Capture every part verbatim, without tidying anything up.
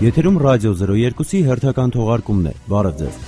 Եթերում ռադիո զրո երկուսի հերթական թողարկումն է։ Բարև ձեզ։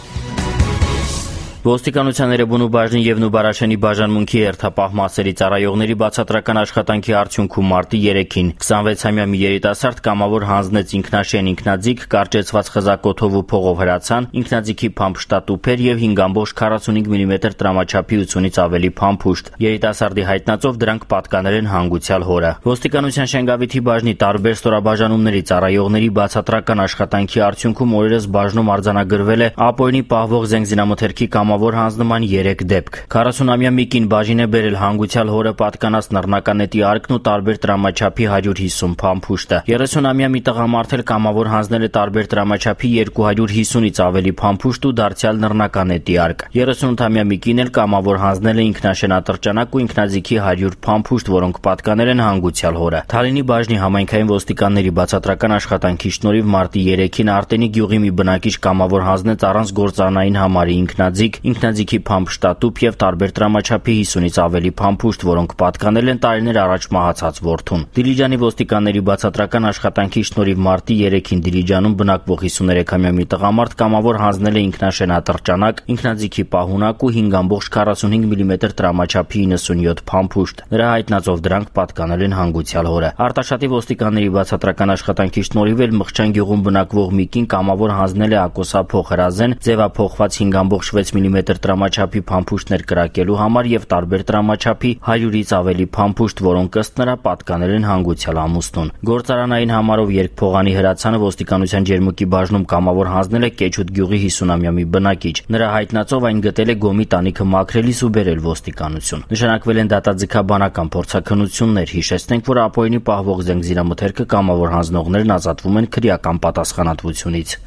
Ոստիկանության Էրեբունու բաժնի եւ Նուբարաշենի բաժանմունքի հերթապահ մասերի ծառայողների բացատրական աշխատանքի արդյունքում մարտի երեքին քսանվեցամյա մի երիտասարդ կամավոր հանձնեց ինքնաշեն ինքնաձիգ, կարճեցված խզակոթով ու փողով հրացան, ինքնաձիգի փամփշտատուփեր եւ հինգ կόμma քառասունհինգ միլիմետր տրամաչափի ութունից ավելի փամփուշտ։ Երիտասարդի հայտնածով դրանք պատկանել են հանգուցյալ հորը։ Ոստիկանության Շենգավիթի բաժնի տարբեր ստորաբաժանումների ծառայողների բացատրական աշխատանքի արդյունքում օրերս բաժնում արձանագրվել է ԱՊՕ-ի պահվող զենզինամթերքի կամավոր հանձնման երեք դեպք։ քառասունամյա Միկին բաժին է բերել հանգուցյալ հորը պատկանած նռնականետի արկն ու տարբեր տրամաչափի հարյուր հիսուն փամփուշտը։ երեսունամյա մի տղամարդ էլ կամավոր հանձնել է տարբեր տրամաչափի երկու հարյուր հիսունից ավելի փամփուշտ ու դարձյալ նռնականետի արկ։ երեսունութամյա Միկին էլ կամավոր հանձնել է ինքնաշենատրճանակ ու ինքնաձիգի հարյուր փամփուշտ, որոնք պատկանել են հանգուցյալ հորը։ Թալինի բաժնի համայնքային ոստիկանների բացատրական աշխատանքի շնորհիվ մարտի երեքին Արտենի գյուղի մի բնակիչ կամավոր հանձնեց առանց գործառնային համարի ինքնաձիգ, ինքնաձիգի փամփշտատուփ եւ տարբեր տրամաչափի հիսունից ավելի փամփուշտ, որոնք պատկանել են տարիներ առաջ մահացած որդուն։ Դիլիջանի ոստիկանների բացատրական աշխատանքի շնորհիվ մարտի երեքին Դիլիջանում բնակվող հիսուներեքամյա մի տղամարդ կամավոր հանձնել է ինքնաշենատրճանակ, ինքնաձիգի պահունակ ու հինգ կόμma քառասունհինգ միլիմետր տրամաչափի իննսունյոթ փամփուշտ։ Նրա հայտնածով դրանք պատկանել են հանգուցյալ հորը։ Արտաշատի ոստիկանների բացատրական աշխատանքի շնորհիվ էլ Մղճան գյուղում բնակվող Միկին կամավոր հանձնել է ակոսափող հրազեն, ձևափոխված հինգ կόμma վեց միլիմետր տրամաչափի փամփուշտներ կրակելու համար եւ տարբեր տրամաչափի հարյուրից ավելի փամփուշտ, որոնք ըստ նրա պատկանել են հանգուցյալ ամուսնուն։ Գործարանային համարով երկփողանի հրացանը ոստիկանության ջերմուկի բաժնում կամավոր հանձնել է Կեչուտ գյուղի հիսունամյա մի բնակիչ։ Նրա հայտնածով այն գտել է գոմի տանիքը մաքրելիս ու բերել ոստիկանություն։ Նշանակվել են դատաձգաբանական փորձաքննություններ։ Հիշեցնենք, որ ԱՊՕ-ի պահվող զենզինամթերքը կամավոր հանձնողներն ազատվում են քրեական պատասխանատվությունից։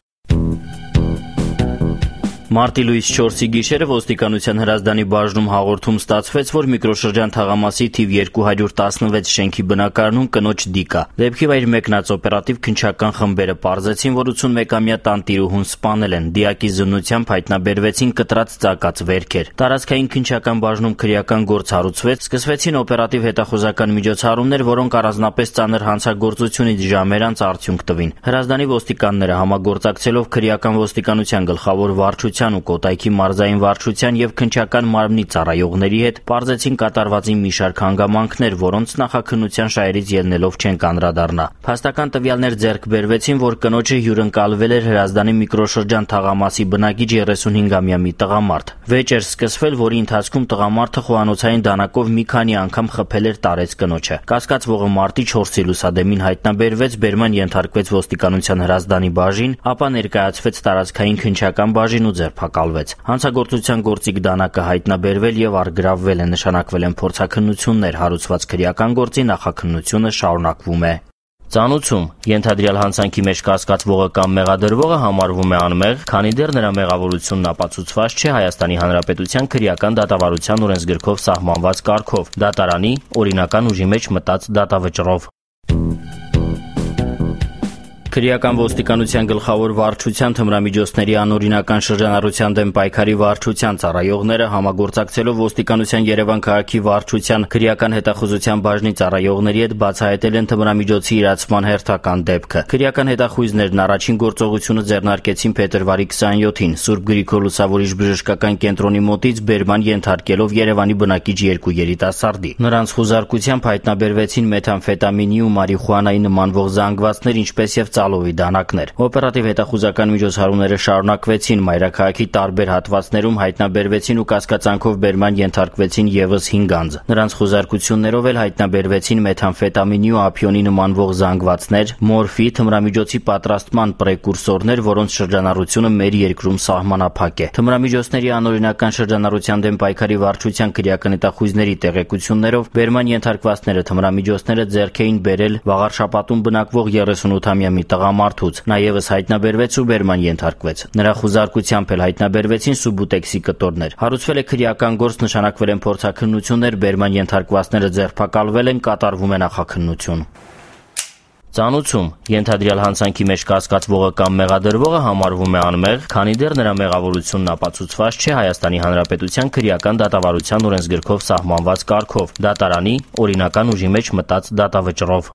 Մարտի լույս չորսի գիշերը ոստիկանության Հրազդանի բաժնում հաղորդում ստացվեց, որ միկրոշրջան թաղամասի թիվ երկու հարյուր տասնվեց շենքի բնակարանում կնոջ դիկա։ Դեպքի վայր մեկնած օպերատիվ քննչական խմբերը պարզեցին, որ ութունմեկամյա տանտիրուհուն սպանել են։ Դիակի զննությամբ հայտնաբերվեցին կտրած ծակած վերքեր։ Տարածքային քննչական բաժնում քրեական գործ հարուցվեց, սկսվեցին օպերատիվ հետախուզական միջոցառումներ, որոնք առանձնապես ծանր հանցագործությունից ժամեր անց արդյունք տվին։ Հրազդանի ոստիկանները համագործակցելով քրեական ոստիկանության գլխավոր վարչության ու Կոտայքի մարզային վարչության եւ քննչական մարմնի ծառայողների հետ պարզեցին կատարվածին մի շարք հանգամանքներ, որոնց նախաքննության շահերից ելնելով չեն կանդրադառնա։ Փաստական տվյալներ ձեռք բերվեցին, որ կնոջը հյուրընկալվել էր Հրազդանի միկրոշրջան թաղամասի բնակիչ երեսունհինգամյա մի տղամարդ։ Վեճ էր սկսվել, որի ընթացքում տղամարդը խոհանոցային դանակով մի քանի անգամ խփել էր տարեց կնոջը։ Կասկածվողը մարտի չորսի լուսադեմին հայտնաբերվեց, բերման ենթարկվեց ոստիկանության Հրազդանի բաժին, ապա ներկայացվեց տարածքային քննչական բաժին ու ձերբակալվեց։ Հանցագործության գործիք դանակը հայտնաբերվել եւ առգրավվել է, նշանակվել են փորձաքննություններ, հարուցված քրեական գործի նախաքննությունը շարունակվում է։ Ծանուցում ենթադրյալ հանցանքի մեջ կասկածվողը կամ մեղադրվողը համարվում է անմեղ, քանի դեռ նրա մեղավորությունն ապացուցված չէ Հայաստանի Հանրապետության քրեական դատավարության օրենսգրքով սահմանված կարգով, դատարանի օրինական ուժի մեջ մտած դատավճռով։ Քրեական ոստիկանության գլխավոր վարչության թմրամիջոցների անօրինական շրջանառության դեմ պայքարի վարչության ծառայողները համագործակցելով ոստիկանության Երևան քաղաքի վարչության քրեական հետախուզության բաժնի ծառայողների հետ բացահայտել են թմրամիջոցի իրացման հերթական դեպքը։ Քրեական հետախույզներն առաջին գործողությունը ձեռնարկեցին փետրվարի քսանյոթին Սուրբ Գրիգոր Լուսավորիչ բժշկական կենտրոնի մոտից բերման ենթարկելով Երևանի բնակիչ երկու երիտասարդի։ Նրանց խուզարկությամբ հայտնաբերվեցին մեթամֆետամինի ու մարիխուանայի նմանվող զանգվածներ, ինչպես եւ Ալովի դանակներ։ Օպերատիվ հետախուզական միջոցառումները շարունակվեցին, մայրաքաղաքի տարբեր հատվածներում հայտնաբերվեցին ու կասկածանքով բերման ենթարկվեցին եւս հինգ անձ։ Նրանց խուզարկություններով էլ հայտնաբերվեցին մեթամֆետամինի ու ափիոնի նմանվող զանգվածներ, մորֆի, թմրամիջոցի պատրաստման պրեկուրսորներ, որոնց շրջանառությունը մեր երկրում սահմանափակ է։ Թմրամիջոցների անօրինական շրջանառության դեմ պայքարի վարչության քրեական հետախույզների տեղեկություններով բերման ենթարկվածները թմրամիջոցները ձեռք էին բերել Վաղարշապատում բնակվող երեսունութամյա մի տղամարդուց, նա ևս հայտնաբերվեց ու բերման ենթարկվեց։ Նրա խուզարկությամբ էլ հայտնաբերվեցին սուբուտեքսի կտորներ։ Հարուցվել է քրեական գործ, նշանակվել են փորձաքննություններ, բերման ենթարկվածները ձերբակալվել են, կատարվում է նախաքննություն։ Ծանուցում ենթադրյալ հանցանքի մեջ կասկածվողը կամ մեղադրվողը համարվում է անմեղ, քանի դեռ նրա մեղավորությունն ապացուցված չէ Հայաստանի Հանրապետության քրեական դատավարության օրենսգրքով սահմանված կարգով, դատարանի օրինական ուժի մեջ մտած դատավճռով։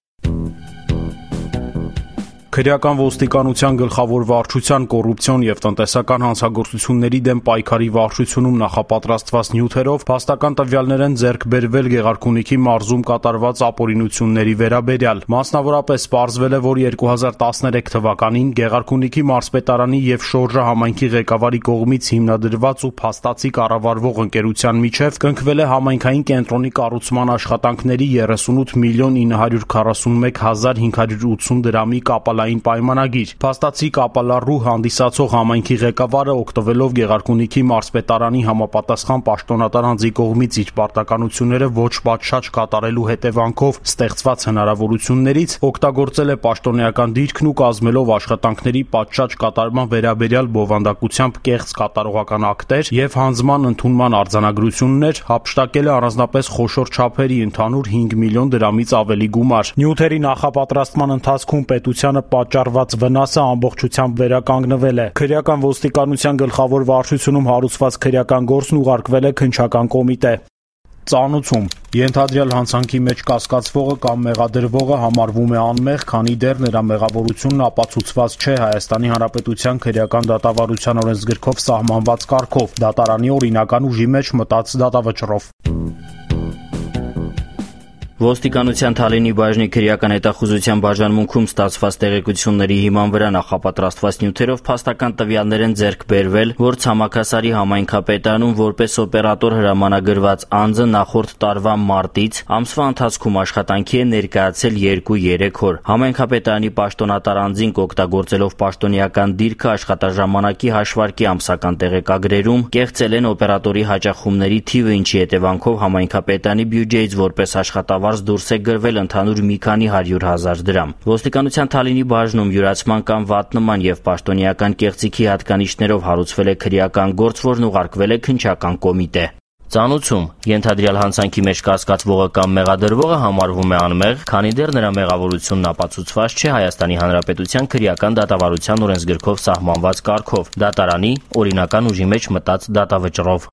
Քրեական ոստիկանության գլխավոր վարչության կոռուպցիոն եւ տնտեսական հանցագործությունների դեմ պայքարի վարչությունում նախապատրաստված նյութերով փաստական տվյալներ են ձեռք բերվել Գեղարքունիքի մարզում կատարված ապօրինությունների վերաբերյալ։ Մասնավորապես պարզվել է, որ երկու հազար տասներեք թվականին Գեղարքունիքի մարզպետարանի եւ Շորժա համայնքի ղեկավարի կողմից հիմնադրված ու փաստացի կառավարվող ընկերության միջև կնքվել է համայնքային կենտրոնի կառուցման աշխատանքների երեսունութ միլիոն ինը հարյուր քառասունմեկ հազար հինգ հարյուր ութսուն դրամի կապալային պայմանագիր։ Փաստացի կապալառու հանդիսացող համայնքի ղեկավարը օգտվելով Գեղարքունիքի մարզպետարանի համապատասխան պաշտոնատար անձի կողմից իր պարտականությունները ոչ պատշաճ կատարելու հետևանքով ստեղծված հնարավորություններից օգտագործել է պաշտոնեական դիրքն ու կազմելով աշխատանքների պատշաճ կատարման վերաբերյալ բովանդակությամբ կեղծ կատարողական ակտեր եւ հանձնման ընդունման արձանագրություններ, հափշտակել է առանձնապես խոշոր չափերի ընդհանուր հինգ միլիոն դրամից ավելի գումար։ Նյութերի նախապատրաստման ընթացքում պետությանը պատճառված վնասը ամբողջությամբ վերականգնվել է։ Քրեական ոստիկանության գլխավոր վարչությունում հարուցված քրեական գործն ուղարկվել է քննչական կոմիտե։ Ծանուցում ենթադրյալ հանցանքի մեջ կասկածվողը կամ մեղադրվողը համարվում է անմեղ, քանի դեռ նրա մեղավորությունն ապացուցված չէ Հայաստանի Հանրապետության քրեական դատավարության օրենսգրքով սահմանված կարգով, դատարանի օրինական ուժի մեջ մտած դատավճռով։ Ոստիկանության Թալինի բաժնի քրեական հետախուզության բաժանմունքում ստացված տեղեկությունների հիման վրա նախապատրաստված նյութերով փաստական տվյալներ են ձեռք բերվել, որ Ցամաքասարի համայնքապետարանում որպես օպերատոր հրամանագրված անձը նախորդ տարվա մարտից ամսվա ընթացքում աշխատանքի է ներկայացել երկու երեք օր։ Համայնքապետարանի պաշտոնատար անձին օգտագործելով պաշտոնեական դիրքը աշխատաժամանակի հաշվարկի ամսական տեղեկագրերում կեղծել են օպերատորի հաճախումների թիվը, ինչի հետևանքով համայնքապետարանի բյուջեից որպես աշխատավար դուրս է գրվել ընդհանուր մի քանի հարյուր հազար դրամ։ Ոստիկանության Թալինի բաժնում յուրացման կամ վատնման եւ պաշտոնեական կեղծիքի հատկանիշներով հարուցվել է քրեական գործ, որն ուղարկվել է քննչական կոմիտե։ Ծանուցում ենթադրյալ հանցանքի մեջ կասկածվողը կամ մեղադրվողը համարվում է անմեղ, քանի դեռ նրա մեղավորությունն ապացուցված չէ Հայաստանի Հանրապետության քրեական դատավարության օրենսգրքով սահմանված կարգով, դատարանի օրինական ուժի մեջ մտած դատավճռով։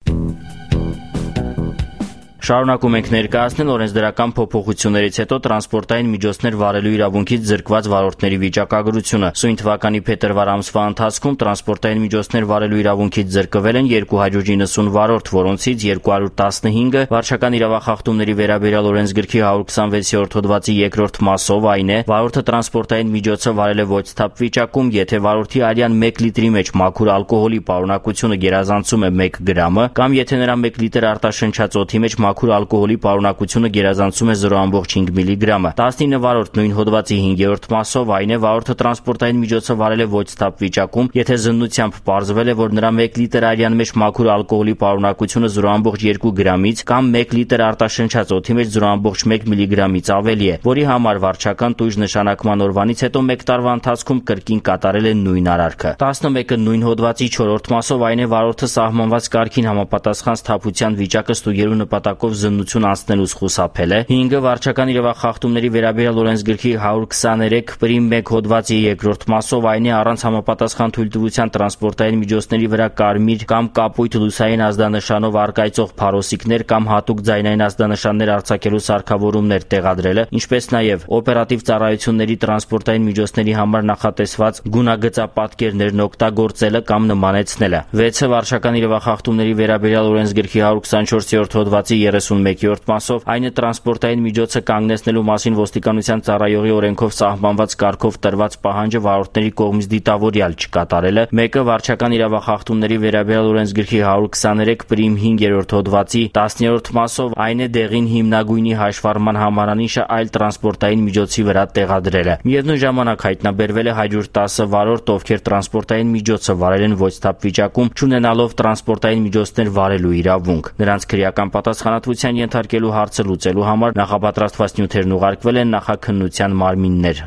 Շարունակում ենք ներկայացնել օրենսդրական փոփոխություններից հետո տրանսպորտային միջոցներ վարելու իրավունքից զրկված վարորդների վիճակագրությունը։ Սույն թվականի փետրվար ամսվա ընթացքում տրանսպորտային միջոցներ վարելու իրավունքից զրկվել են երկու հարյուր իննսուն վարորդ, որոնցից երկու հարյուր տասնհինգը վարչական իրավախախտումների վերաբերյալ օրենսգրքի հարյուր քսանվեցերորդ հոդվածի երկրորդ մասով, այն է, վարորդը տրանսպորտային միջոցը վարել է ոչ սթափ վիճակում, եթե վարորդի արյան մեկ լիտրի մեջ մաքուր ալկոհոլի պարունակությունը գերազանցում է մեկ գրամը, կամ եթե նրա մեկ լիտր արտաշնչած օդի մեջ մաքուր ալկոհոլի պարունակությունը գերազանցում է զրո կόμμα հինգ միլիգրամը։ տասնինը վարորդ նույն հոդվածի հինգերորդ մասով, այն է, վարորդը տրանսպորտային միջոցը վարել է ոչ սթափ վիճակում, եթե զննությամբ պարզվել է, որ նրա մեկ լիտր արյան մեջ մաքուր ալկոհոլի պարունակությունը զրո կόμμα երկու գրամից կամ մեկ լիտր արտաշնչած օդի մեջ զրո կόμμα մեկ միլիգրամից ավելի է, որի համար վարչական տույժ նշանակման օրվանից հետո մեկ տարվա ընթացքում կրկին կատարել է նույն արարքը։ տասնմեկը նույն հոդվածի չորրորդ մասով, այն է, վարորդը սահմանված կարգին համապատասխան սթափության վիճակը ստուգելու նպատակով զննություն անցնելուց խուսափել է։ հինգը վարչական իրավախախտումների վերաբերյալ օրենսգրքի հարյուր քսաներեք պրիմ մեկ հոդվածի երկրորդ մասով, այն է, առանց համապատասխան թույլտվության տրանսպորտային միջոցների վրա կարմիր կամ կապույտ լուսային ազդանշանով առկայծող փարոսիկներ կամ հատուկ ձայնային ազդանշաններ արձակելու սարքավորումներ տեղադրելը, ինչպես նաև օպերատիվ ծառայությունների տրանսպորտային միջոցների համար նախատեսված գունագծապատկերներն օգտագործելը կամ նմանեցնելը։ վեցը վարչական իրավախախտումների վերաբերյալ օրենսգրքի հարյուր քսանչորսերորդ հոդվածի երեսունմեկերորդ մասով, այն է, տրանսպորտային միջոցը կանգնեցնելու մասին ոստիկանության ծառայողի օրենքով սահմանված կարգով տրված պահանջը վարորդների կողմից դիտավորյալ չկատարելը։ մեկը վարչական իրավախախտումների վերաբերյալ օրենսգրքի հարյուր քսաներեք պրիմ հինգերորդ հոդվածի տասներորդ մասով, այն է, դեղին հիմնագույնի հաշվառման համարանիշը այլ տրանսպորտային միջոցի վրա տեղադրելը։ Միևնույն ժամանակ հայտնաբերվել է հարյուր տասը վարորդ, ովքեր տրանսպորտային միջոցը վարել են ոչ սթափ վիճակում, չունենալով տրանսպորտային միջոցներ վարելու իրավունք։ Նրանց քրեական պատասխանատվության ենթարկելու հարցը լուծելու համար նախապատրաստված նյութերն ուղարկվել են նախաքննության մարմիններ։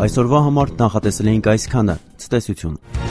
Այսօրվա համար նախատեսել էինք այսքանը։ Ցտեսություն։